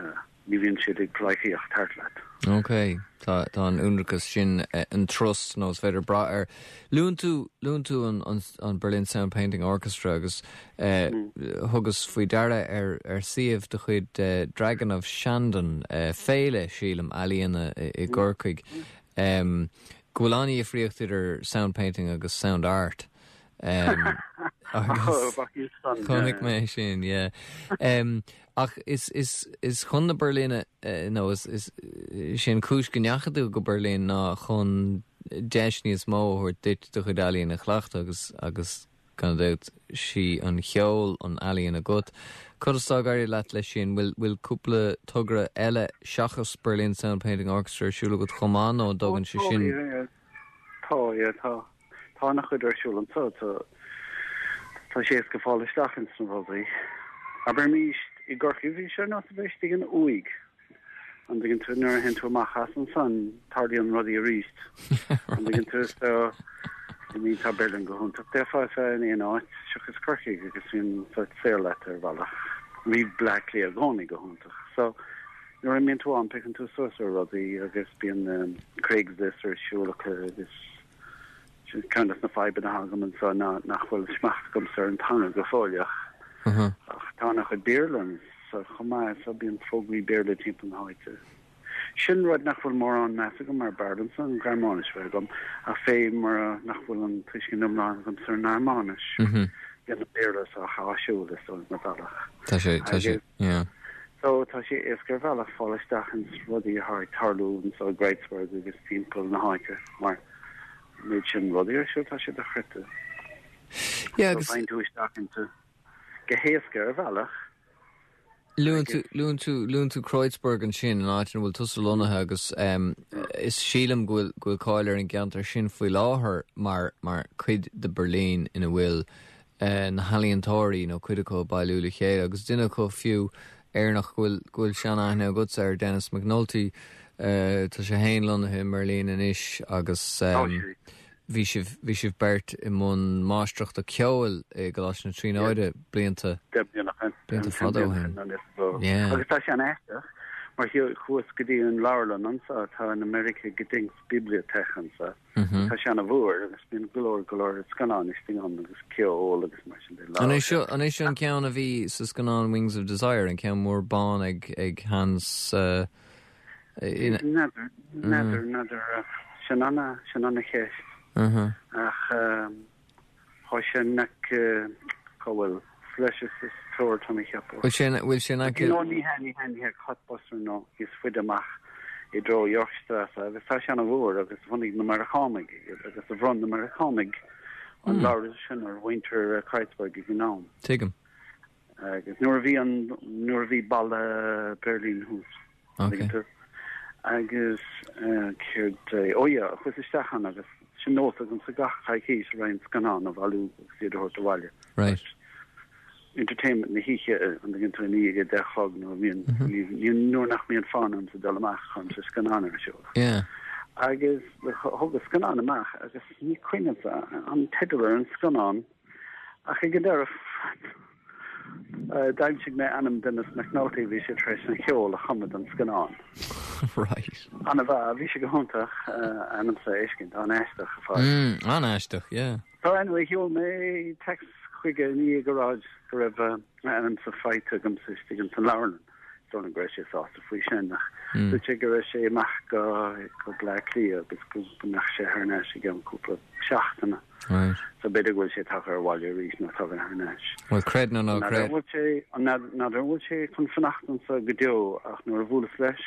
S11: ní bhíonn siad ag pleidhcíocht thart leat.
S1: Ok, tá tá an ionracas sin an trust nó is féidir brath air. Luann tú luann tú an, an, an Berlin Sound Painting Orchestra agus eh, thugas faoi deara ar ar suíomh de chuid eh, Dragon of Shandon eh, féile sílim ealaíona i, i gCorcaigh um, go bhfuil an-difríocht idir sound painting agus sound art. Um, agus chonaic mé sin, yeah. Um, ach is is is chun na Berlíne uh, nó is is sin cúis go ndeachaigh tú go Berlin ná chun deis níos mó a thabhairt duit do chuid ealaíon a chleachtadh agus agus gan dabht sí an cheol an ealaíon agat. Conas atá ag éirí leat leis sin bhfuil bhfuil cúpla togra eile seachas Berlin Sound Painting Orchestra ar siúl agat chomh maith nó an dtógann sé sin?
S11: Tá tá tá an-chuid ar siúl anso tá tá sé éasca fáil isteach ins na rudaí. Abraimis i gCorcaigh bhí sé ar nós a bheith istigh in uaigh. An dtuigeann tú nuair a théann tú amach as ansan tarlaíonn rudaí arís. An dtuigeann tú so I mean tá Berlin go hiontach d'fhéadfá a bheith in aon áit seachas Corcaigh agus bíonn sort saor leat ar bhealach. Bhí Bleá Cliath i gcónaí go hiontach. So nuair a mbíonn tú ann piocann tú suas ar rudaí agus bíonn um, Craigslist ar siúl acu agus sin ceann de na fadhbanna atá agam anso ná nach bhfuil smacht agamsa ar an teanga go fóilleach. Ach tá an-chuid Béarla so chomh maith so bíonn fógraí Béarla timpeall na háite. Sin rud nach bhfuil mórán meas agam mar b'fhearr liomsa an Ghearmáinis bheith agam ach fé mar nach bhfuil an tuiscint iomlán agamsa ar an nGearmáinis. Bíonn an Béarla sách áisiúil is dóigh mar bhealach.
S1: Tá sé tá sé yeah.
S11: So tá sé éasca ar bhealach fáil isteach ins rudaí atá ag tarlú anso i Kreuzberg agus timpeall na háite mar méid sin rudaí ar siúl tá sé dochreidte.
S1: Yeah, agus
S11: faigheann tú isteach inti go héasca ar bhealach.
S1: Luann tú luann tú luann tú Kreuzberg ansin an áit ina bhfuil tusa lonnaithe agus um, is sílim go bhfuil go bhfuil cáil ar an gceantar sin faoi láthair mar mar cuid de Berlin ina bhfuil uh, na healaíontóirí nó cuid acu bailiú le chéile agus duine acu fiú Éireannach go bhfuil go bhfuil seanaithne agatsa air Dennis McNulty uh, tá sé féin lonnaithe i mBerlin anois agus um, bhí sibh bhí sibh beirt i mbun máistreachta ceoil i gColáiste na Tríonóide blianta blianta fada ó shin. Yeah.
S11: Agus tá sé an-aisteach Mar chuas go dtí an leabharlann anseo tá an Amerika Gedenkbibliothek anseo.
S1: Mhm.
S11: Tá sé an-mhór agus bíonn go leor go leor scannán istigh ann agus ceol agus mar sin de.
S1: An é seo an é seo an ceann a bhí sa scannán Wings of Desire an ceann mór bán ag ag Hans uh, in-
S11: N'fheadar n'fheadar n'fheadar sin an sin an cheist
S1: Uh-huh.
S11: ach tá sé nach go bhfuil fleis is tóir tá mé cheapadh.
S1: Bhfuil sé bhfuil sé
S11: No ní he ní he ní he Kottbusser nó is faide amach i dtreo Yorkstrasse agus tá sé an-mhór agus bhunaigh na Meiriceánaigh agus a bhronn na Meiriceánaigh an
S1: Hmm.
S11: leabhar sin ar mhuintir Kreuzberg ag an am.
S1: Tuigim.
S11: Agus nuair a bhí an nuair a bhí balla Berlin thuas.
S1: Okay.
S11: Agus céard ó yeah, chuas isteach ann agus sin nós agam sa gach coicís roinnt scannán a bhailiú agus iad a thabhairt abhaile.
S1: Right.
S11: Entertainment na hoíche an dtuigeann tú ní ag deich a chlog nó bhíonn nuair nach mbíonn fonn orm sa dul amach chun sa scannán ar siúl.
S1: Yeah.
S11: Agus thug scannán amach agus ní cuimhin an teideal ar an scannán ach ag an deireadh d'aimsigh mé ainm Dennis McNulty bhí sé tar éis an ceol a chumadh don scannán.
S1: Right.
S11: Anna bha bhí sé go hiontach ainm sa éiscint an aisteach a fáil.
S1: Mm, an-aisteach, yeah.
S11: So anyway, sheol mé text chuige ní go raibh go raibh ainm sa faighte agam sa istigh an leabharlann. So an go raibh sé sásta faoi sin ach
S1: Mm.
S11: dúirt sé go raibh sé amach go go Bleá Cliath agus go mbeadh sé thar n-ais i gceann cúpla seachtaine.
S1: Right.
S11: So b'fhéidir go bhfuil sé tagtha abhaile arís nó tagtha thar n-ais.
S1: Well creid nó ná creid.
S11: bhfuil sé n'fheadar an bhfuil sé chun fanacht anseo go deo ach nuair a bhuaileas leis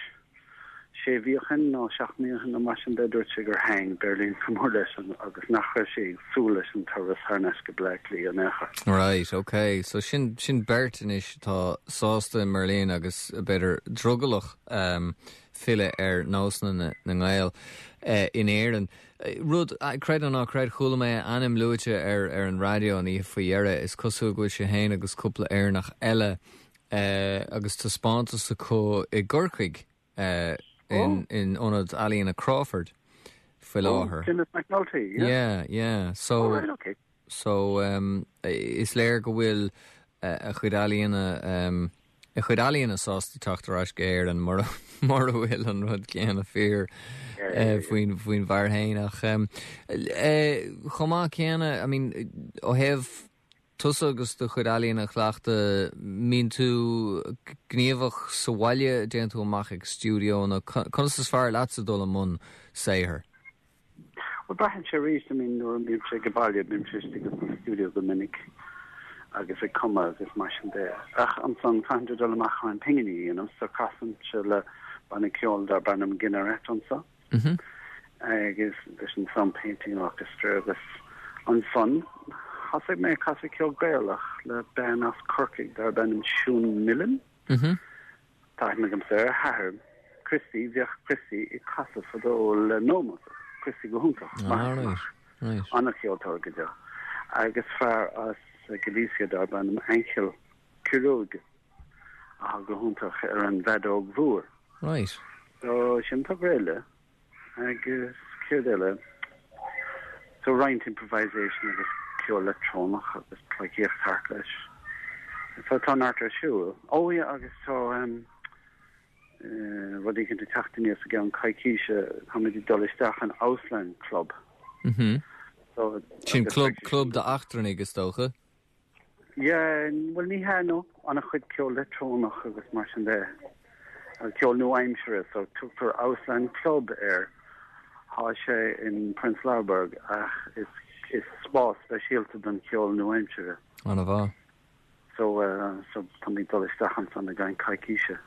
S11: sé mhí ó shin nó seacht mí ó shin nó mar sin de dúirt sé gur thaitin Berlin go mór leis agus nach raibh sé ag súil leis an turas thar n-ais go Bleá Cliath an éacha.
S1: Right, okay. So sin sin beirt anois tá sásta i mBerlin agus b'fhéidir drogallach um, filleadh ar nósanna na, na nGael uh, in Éirinn. Eh, Rud uh, creid nó ná creid chuala mé ainm luaite ar ar an raidió an oíche faoi dheireadh is cosúil go bhfuil sé féin agus cúpla Éireannach eile uh, agus taispeántas acu i gCorcaigh uh, in, in ionad ealaíona Crawford faoi láthair.
S11: Dennis McNulty, yeah.
S1: Yeah, yeah. So
S11: Oh, right, okay.
S1: So um, is léir go bhfuil uh, a chuid ealaíona um, a chuid ealaíona sásta teacht ar ais go Éirinn mar mar bhfuil an rud céanna fíor uh, faoin faoin bhfear féin ach um, uh, chomh maith céanna I mean ó thaobh tusa agus do chuid ealaíona a chleachtadh mbíonn tú gníomhach sa bhaile déanann tú amach ag stiúideo nó conas is fearr leatsa dul i mbun saothair.
S11: Well braitheann sé arís I mean nuair a bhím sé go baile bím sé istigh sa studio go minic agus ag cumadh agus mar sin de. Ach ansan caithfidh dul amach chun pinginí you know, so casann sé le banna ceoil darb ainm Gineret anseo.
S1: Mm -hmm.
S11: agus leis an Sound Painting Orchestra agus ansan thosaigh mé casadh ceol Gaelach le bean as Corcaigh darb ainm Siún Millen.
S1: Mm -hmm.
S11: Tá gam sé hathair Christy bheadh Christy ag casadh fadó le Nomas Christy go hiontach
S1: Ah, right, right.
S11: an-cheoltóir go deo. Agus fear as Galicia darb ainm Angel Quiroga a go hiontach ar an bhfeadóg mhór.
S1: Right.
S11: So sin tá réile agus céard eile. So roinnt improvisation agus ceol leictreonach agus pleidhcíocht thart leis. So tá neart ar siúl. Ó yeah, agus tá um, uh, rud éigin ag teacht aníos i gceann coicíse táimid ag dul isteach an Ausland Club.
S1: Mm -hmm.
S11: So,
S1: Sin
S11: agus
S1: club club d'eachtrannaigh is dócha?
S11: Yeah, well ní hea no an-chuid ceol leictreonach agus mar sin de. Agus ceol nua-aimseartha so tugtar Ausland Club air tá sé in Prenzlauer Berg ach is is spás speisialta don ceol nua-aimseartha.
S1: An-mhaith.
S11: So uh, so tá mé dul isteach ansan i gceann coicíse.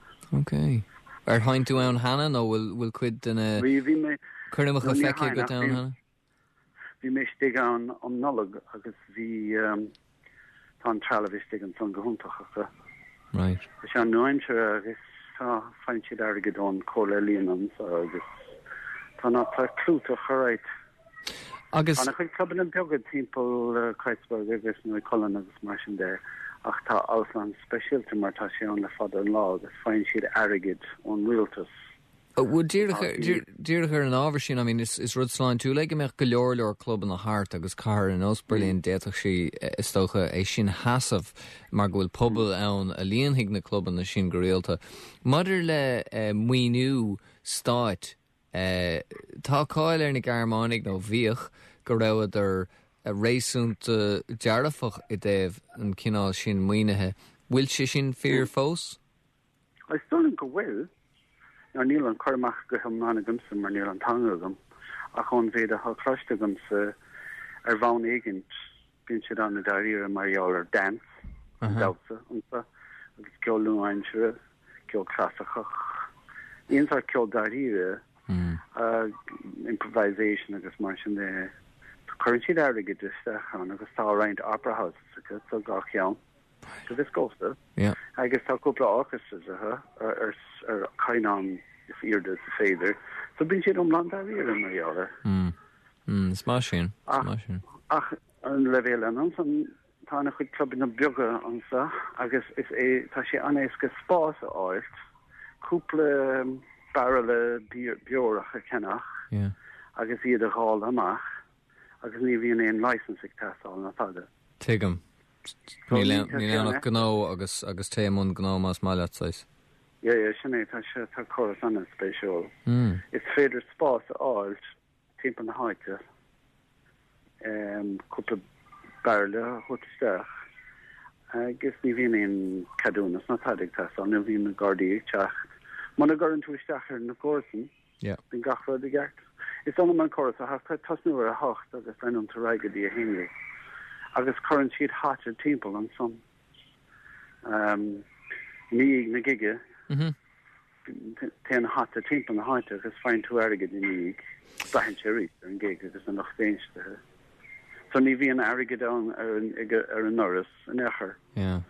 S1: Okay. Ar sheinn tú ann cheana nó bhfuil bhfuil cuid de na
S11: Bhí bhí mé
S1: cuirmeacha
S11: No, ní
S1: feicthe
S11: sheinn,
S1: go
S11: ach
S1: ann
S11: bhí-
S1: cheana?
S11: Bhí mé istigh ann um Nollag agus bhí um, tá an trealamh istigh ansan go hiontach acu.
S1: Right.
S11: Tá sé nua-aimseartha agus tá faigheann siad airgead ón Chomhairle Ealaíon anseo agus tá ná tá clúiteach right.
S1: Agus
S11: an-chuid clubanna beaga timpeall uh, Kreuzberg agus Neukölln agus mar sin de ach tá Ausland speisialta mar tá sé ann le fada an lá agus faigheann siad airgead ón rialtas.
S1: Bhuel díreach ar an ábhar sin I mean, is, is rud sláintiúil é go mbeadh go leor leor clubanna thart agus cathair ar nós Berlin d'fhéadfadh sí is dócha é sin sheasamh mar go bhfuil pobal ann a líonfaidh na clubanna sin go rialta. Maidir le eh, maoiniú stáit eh, tá cáil ar na Gearmánaigh nó bhíodh go rabhadar réasúnta dearfach i dtaobh an cineál sin maoinithe. Bhfuil sé sin fíor fós?
S11: Is dóigh go bhfuil Ná níl an cur amach go hiomlán agamsa mar níl an teanga agam ach ón mhéid atá cloiste agamsa ar bhonn éigin bíonn siad an-dáiríre mar gheall ar dance damhsa anseo agus ceol nua-aimseartha ceol clasaiceach aon sórt ceol dáiríre uh, improvisation agus mar sin de cuireann siad airgead isteach ann agus tá roinnt opera houses acu so gach ceann go bhfios domhsa
S1: Yeah.
S11: agus tá cúpla orchestras ar ar ar caighdeán is airde is féidir so bíonn siad iomlán dáiríre mar gheall air.
S1: Mm. Mm, is maith sin
S11: Ach-
S1: maith sin.
S11: ach an leibhéal an san tá na chuid clubanna beaga anseo agus is é tá sé an-éasca spás a fháil cúpla bairille beorach a cheannach
S1: Yeah.
S11: agus iad a dháileadh amach agus ní bhíonn aon license ag teastáil ná tada.
S1: Tuigim.
S11: So
S1: Níl
S11: ní-
S1: aon-
S11: tá
S1: níl
S11: sé
S1: anach
S11: an-
S1: gnó agus agus té mun gnó más maith leat saghas.
S11: Ja, ja, sin é tá sé tá córas an-spéisiúil.
S1: Mm.
S11: Is féidir spás a fháil timpeall na háite um, cúpla bairille a thabhairt isteach agus ní bhíonn aon ceadúnas ná tada ag teastáil ní bhíonn na Gardaí ag teacht. Muna gcuireann tú isteach ar na comharsain
S1: Yeah.
S11: bíonn gach rud i gceart. Is dóigh an córas a tosnú ar a hocht agus leanann tú ar aghaidh go dtí a haon déag. Agus cuireann siad hata timpeall ansan. Um, ní na gige
S1: Mhm.
S11: téann hata timpeall na háite agus faigheann tú airgead i ndiaidh braitheann sé arís ar an gig agus an lucht éisteachta. So ní bhíonn airgead ann ar an ar an ndoras in aon chor
S1: Yeah.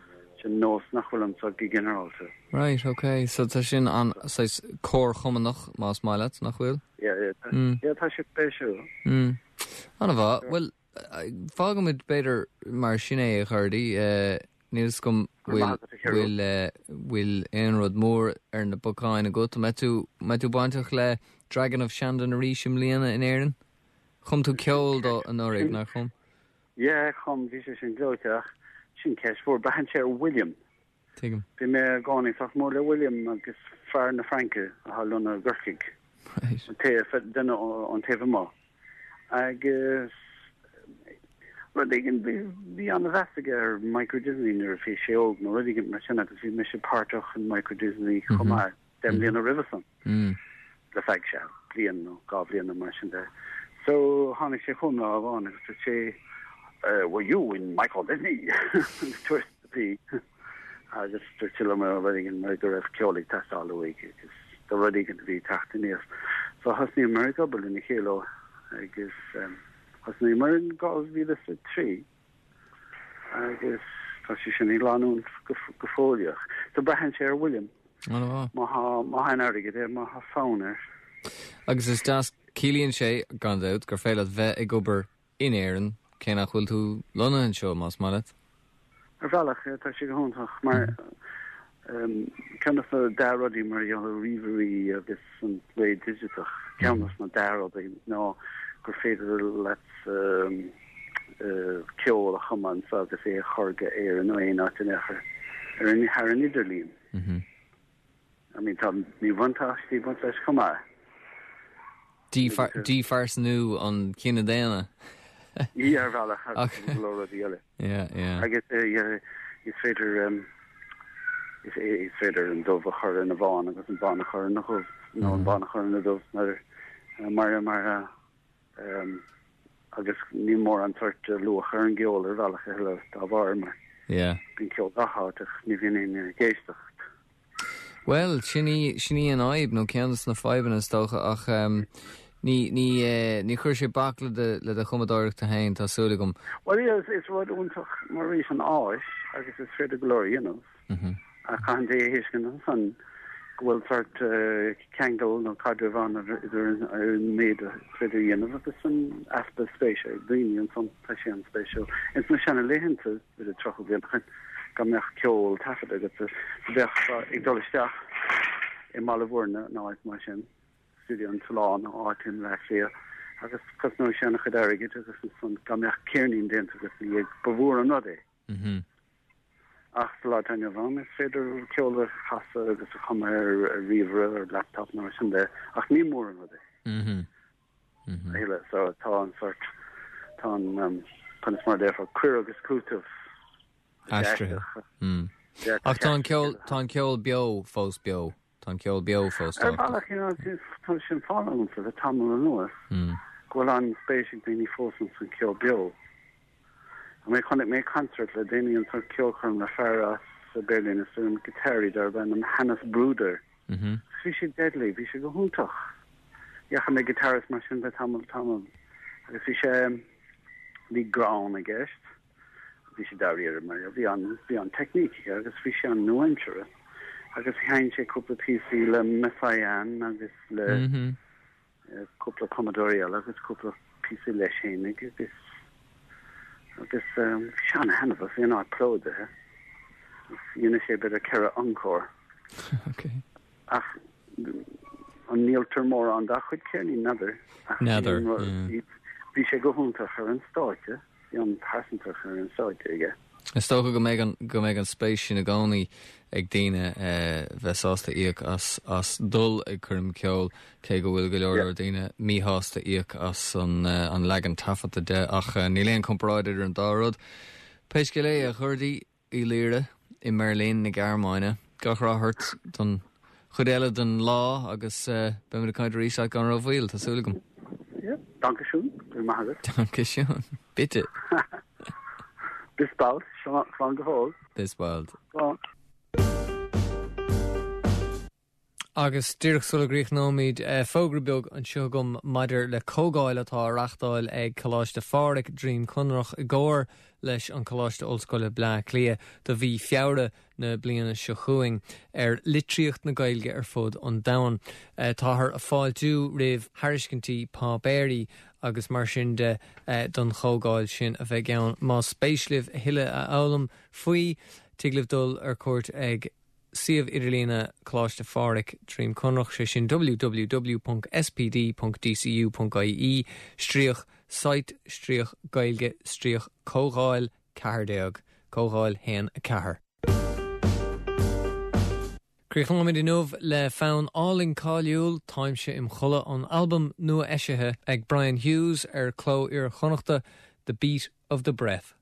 S11: sin nós nach bhfuil anseo go ginearálta.
S1: Right, okay. So tá sin an saghas comharchumannach más maith leat nach bhfuil?
S11: Yeah, yeah, tá-
S1: Mm.
S11: yeah, tá sé spéisiúil.
S1: Mm. An-mhaith Well fágfaimid b'fhéidir mar sin é a chairde níl gom bhfuil bhfuil bhfuil aon rud mór ar na bacáin agat mbeidh tú mbeidh tú bainteach le Dragon of Shandon arís i mbliana in Éirinn? Chum tú ceol dó anuraidh nach chum?
S11: Yeah, chum bhí sé sin gleoite sin ceist mhór braitheann sé ar William.
S1: Tuigim.
S11: Bhí mé i gcónaí sách mór le William agus fear na Fraince atá lonnaithe i gCorcaigh.
S1: Right.
S11: An taobh duine an taobh amuigh. Agus rud éigin bhí an-mheas aige ar Michael Disney nuair a bhí sé óg nó rud éigin mar sin agus bhí mise páirteach in Michael Disney chomh maith deich mbliana roimhe san.
S1: Mm.
S11: le feadh sé bliain nó dhá bhliain mar sin de. So tháinig sé chugam lá amháin agus sé uh, were you in Michael Disney tourist bhí agus dúirt mar rud éigin mar go raibh ceol ag teastáil uaidh agus do rud éigin bhí teacht aníos. So thosnaíomar ag obair lena chéile agus um, thosnaíomar in dhá mhíle a trí agus tá sé sin ag leanúint go go fóillíoch. So braitheann sé ar William
S1: An-mhaith.
S11: má má tá airgead air má tá fonn air.
S1: Agus is deas ciallaíonn sé gan dabht gur féidir leat bheith ag obair in Éirinn cé nach bhfuil tú lonnaithe anseo más maith leat.
S11: Ar bhealach tá sé go hiontach mar um, ceann de na dea-rudaí mar ríomhairí agus an ré digiteach ceann de na dea-rudaí ná gur féidir leat um, uh, ceol a chumadh agus é a chur go Éirinn nó aon áit in aon ar an thar an idirlíon.
S1: Mm -hmm.
S11: I mean tá míbhuntáistí baint leis chomh maith.
S1: Díphearsanú an cine daonna.
S11: Í ar bhealach go rudaí eile.
S1: Yeah, yeah.
S11: Agus uh, is féidir um, is, is féidir an dubh a chur ina bhán agus an bán a chur ina dhubh nó an bán a chur ina dubh mar mar mar um, agus ní mór an sórt luach ar an gceol ar bhealach eile dá bharr mar
S1: Yeah.
S11: bíonn ceol gach áit ach ní bhíonn aon éisteacht.
S1: Well, sin í sin í an fhadhb nó ceann de na fadhbanna is dócha ach um, ní ní uh, ní chuir sé bac le de le do chumadóireacht féin tá súil agam.
S11: Well is is rud iontach mar arís an áis agus is féidir go leor a dhéanamh.
S1: Mm -hmm.
S11: a chaithfidh a thuiscint ansan go bhfuil sórt ceangal nó caidreamh ann idir an méid is féidir a dhéanamh agus an easpa spéise ag daoine ansan tá sé an-spéisiúil. Ins na seanlaethanta idir tríocha bliain go mbeadh ceol taifeadta agus bheadh ag dul isteach i mBaile Bhuirne nó áit mar sin. Stiúideo an tSuláin nó áit i mBleá Cliath agus cosnóidh sé an-chuid airgid agus ansan dá mbeadh ceirnín déanta agat ina dhiaidh ba mhór an rud é. Ach sa lá atá inniu ann is féidir ceol a chasadh agus a chumadh ar ríomhaire, ar laptop nó mar sin de ach ní mór an rud é. A thuilleadh. So tá an sort, tá an, conas mar a déarfá, cur agus cúiteamh
S1: Aistrithe. Ach tá an ceol, tá an ceol beo fós beo. Tá an ceol beo fós
S11: Ar
S1: tábhachtach.
S11: bhealach, you know, tá sin fána agamsa le tamall anuas go bhfuil an-spéis ag daoine fós ins an ceol beo. I mean, chonaic mé concert le déanaí an sort ceolchoirm le fear as Berlin is an giotáraí darb ainm Hannes Bruder. Bhí sé deadly, bhí sé go hiontach. Ní fhaca mé guitarist mar sin le tamall tamall. Agus bhí sé bhí greann i gceist. Bhí sé dáiríre mar bhí an bhí an technique aige agus bhí sé an nua-aimseartha. Agus sheinn sé cúpla píosaí le Messiaen agus le eh, cúpla cumadóirí eile agus cúpla píosa leis féinig agus agus um, bhí sé an-thaitneamhach, bhí an áit plódaithe. Dhein sé b'fhéidir ceithre encore. Ach an ndíoltar mórán dá chuid ceirnín n'fheadar. Ach bhí
S1: N'fheadar,
S11: an rud-
S1: yeah.
S11: bhí bhí sé go hiontach ar an stáitse, bhí an pearsantacht ar an stáitse aige.
S1: Is dócha go mbeidh an go mbeidh an spéis sin i gcónaí ag daoine eh, bheith sásta íoc as as dul ag coirm ceoil cé go bhfuil go leor leor daoine míshásta íoc as an eh, an leagan taifeadta de ach eh, níl aon comparáid idir an dá rud. Pé scéal é a Ghurdaí Uí Laoire i mBeirlín na Gearmáine, gach rath ort don chuid eile den lá agus uh, beimid ag caint arís gan rómhoill, tá súil agam.
S11: Ja, danke schön, go raibh maith agat.
S1: Danke schön. Bitte.
S11: Bis bald, slán go fóill.
S1: Bis bald.
S11: Slán.
S1: Agus díreach sula gcríochnóimid eh, fógra beag anseo agam maidir le comhdháil atá á reáchtáil ag Coláiste Phádraig Droim Conrach i gcomhar leis an Coláiste Ollscoile Bleá Cliath do mhí Feabhra na bliana seo chugainn ar litríocht na Gaeilge ar fud an domhain. Eh, táthar ag fáiltiú roimh thairiscintí páipéirí agus mar sin de eh, don chomhdháil sin a bheidh ann más spéis libh a thuilleadh a fhoghlaim faoi tig libh dul ar cuairt ag suíomh idirlíne Coláiste Phádraig Droim Conrach sé sin www.spd.dcu.ie stríoc site stríoc Gaeilge stríoc comhdháil ceathair déag comhdháil haon a ceathair. Críochnóimid inniu le fonn álainn cáiliúil Táimse im Chodladh an albam nua eisithe ag Brian Hughes ar Cló Iar-Chonnachta The Beat of the Breath.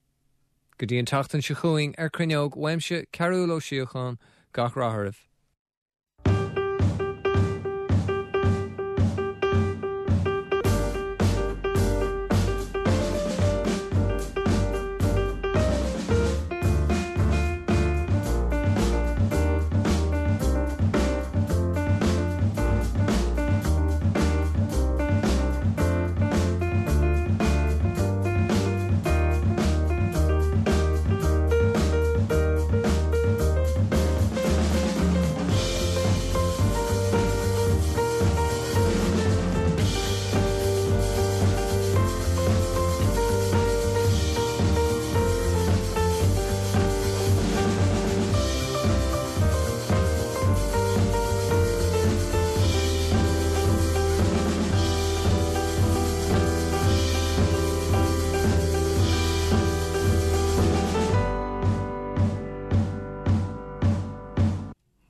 S1: Go dtí an tseachtain seo chugainn ar Cruinneog uaimse Cearúl Ó Síocháin gach rath oraibh.